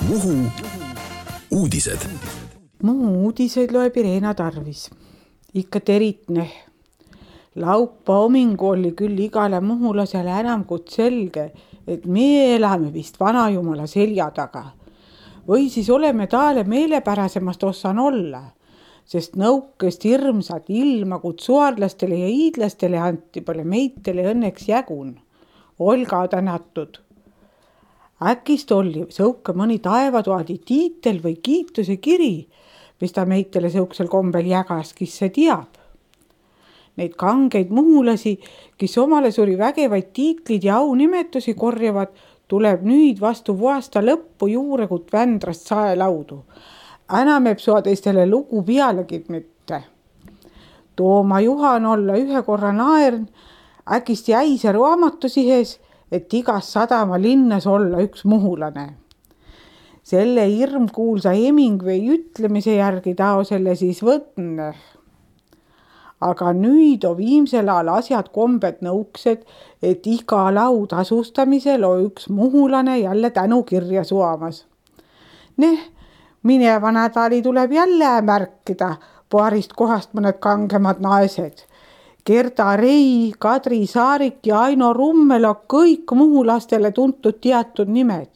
Muhu uudised. Muhu uudiseid loeb Irena Tarvis. Ikka teritne. Laupa homingu oli küll igale muhulasele enam kui selge, et me elame vist vanajumala selja taga. Või siis oleme taale meelepärasemast ossan olla, sest nõukest hirmsat ilma kutsuarlastele ja iidlastele anti pole meitele õnneks jägun. Olga tänatud. Äkist oli sõuke mõni taevatoadi tiitel või kiituse kiri, mis ta meitele sõuksel kombel jagas, kes see teab. Neid kangeid muhulasi, kes omale suri vägevaid tiitlid ja aunimetusi korjavad, tuleb nüüd vastu vuasta lõppu juurekut Vändrast saelaudu. Enam ebsoa teistele lugu pealegi mitte. Tooma Juhan olla ühe korra naern, äkist jäise raamatusihes, et igas sadama linnas olla üks muhulane. Selle hirmkuulsa Hemingway ütlemise järgi tao selle siis võtne. Aga nüüd on viimsel ajal asjad kombed nõuksed, et iga lau tasustamisel on üks muhulane jälle tänukirja suamas. Mineva nädali tuleb jälle märkida paarist kohast mõned kangemad naised. Gerda Rei, Kadri Saarik ja Aino Rummel on kõik muhulastele tuntud teatud nimed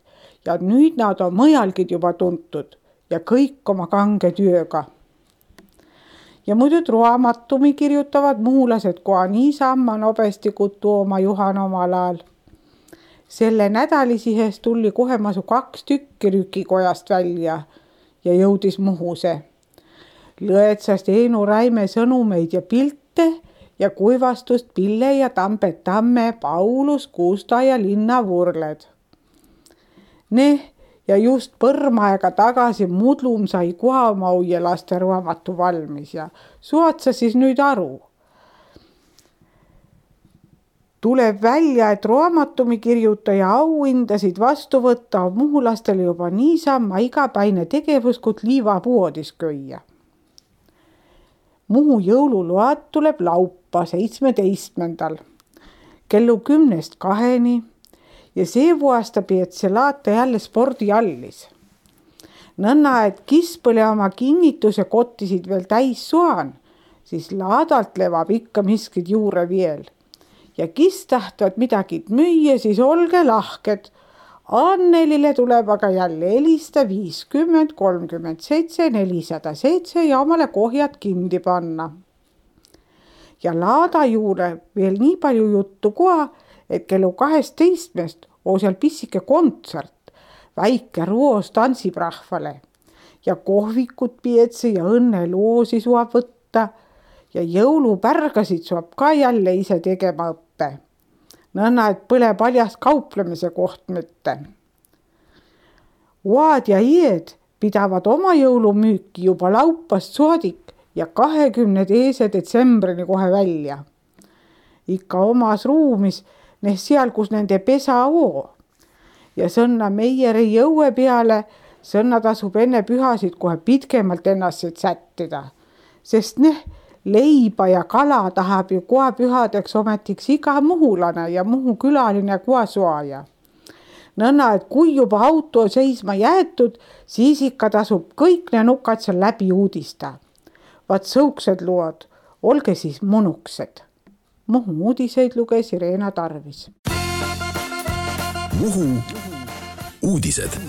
ja nüüd nad on mõjalgid juba tuntud ja kõik oma kange tööga. Ja muidu raamatumi kirjutavad muhulased koha niisamma nobesti kui Tooma Juhan omal ajal. Selle nädalisihes tuli kohe masu 2 tükki rükikojast välja ja jõudis Muhuse. Lõetsast Eenu Räime sõnumeid ja pilte ja kuivastust Pille ja Tambet Tamme, Paulus, Kuusta ja Linna Vurled. Ja just põrmaega tagasi Mudlum sai Kuhamau ja laste raamatu valmis ja suotsa siis nüüd aru. Tuleb välja, et raamatumi kirjutaja auhindasid vastu võtta on muhulastele juba niisamma igapäine tegevus, kui liivapuodis köia. Muhu jõuluload tuleb laupa 17. kellu 10-2 ja see vuasta pead see laata jälle spordiallis. Nõnna, et kispõle oma kinnituse kottisid veel täis suan, siis laadalt levab ikka miskid juure veel. Ja kis tahtvad midagi müüa, siis olge lahked. Annelile tuleb aga jälle helista 50 37 407 ja omale kohjad kindi panna. Ja laada juurde veel nii palju juttu koha, et kellu 12 on seal pissike kontsert, väike roos tantsib rahvale ja kohvikut pietse ja õnneloosi suab võtta ja jõulupärgasid suab ka jälle ise tegema õppe. Nõnna, et põle paljas kauplemise koht mitte. Uad ja ied pidavad oma jõulumüüki juba laupast soodik ja 20. detsembrini kohe välja. Ikka omas ruumis, seal, kus nende pesa oo. Ja sõnna meieri jõue peale, sõnna tasub enne pühasid kohe pitkemalt ennast sättida. Sest leiba ja kala tahab ju koha pühadeks ometiks iga muhulane ja Muhu külaline koasuaja. Nõnna, et kui juba auto seisma jäetud, siis ikka tasub kõik ne nukad seal läbi uudista. Vaat sõuksed lood, olge siis munuksed. Muhu uudiseid luges Irena Tarvis. Muhu uudised.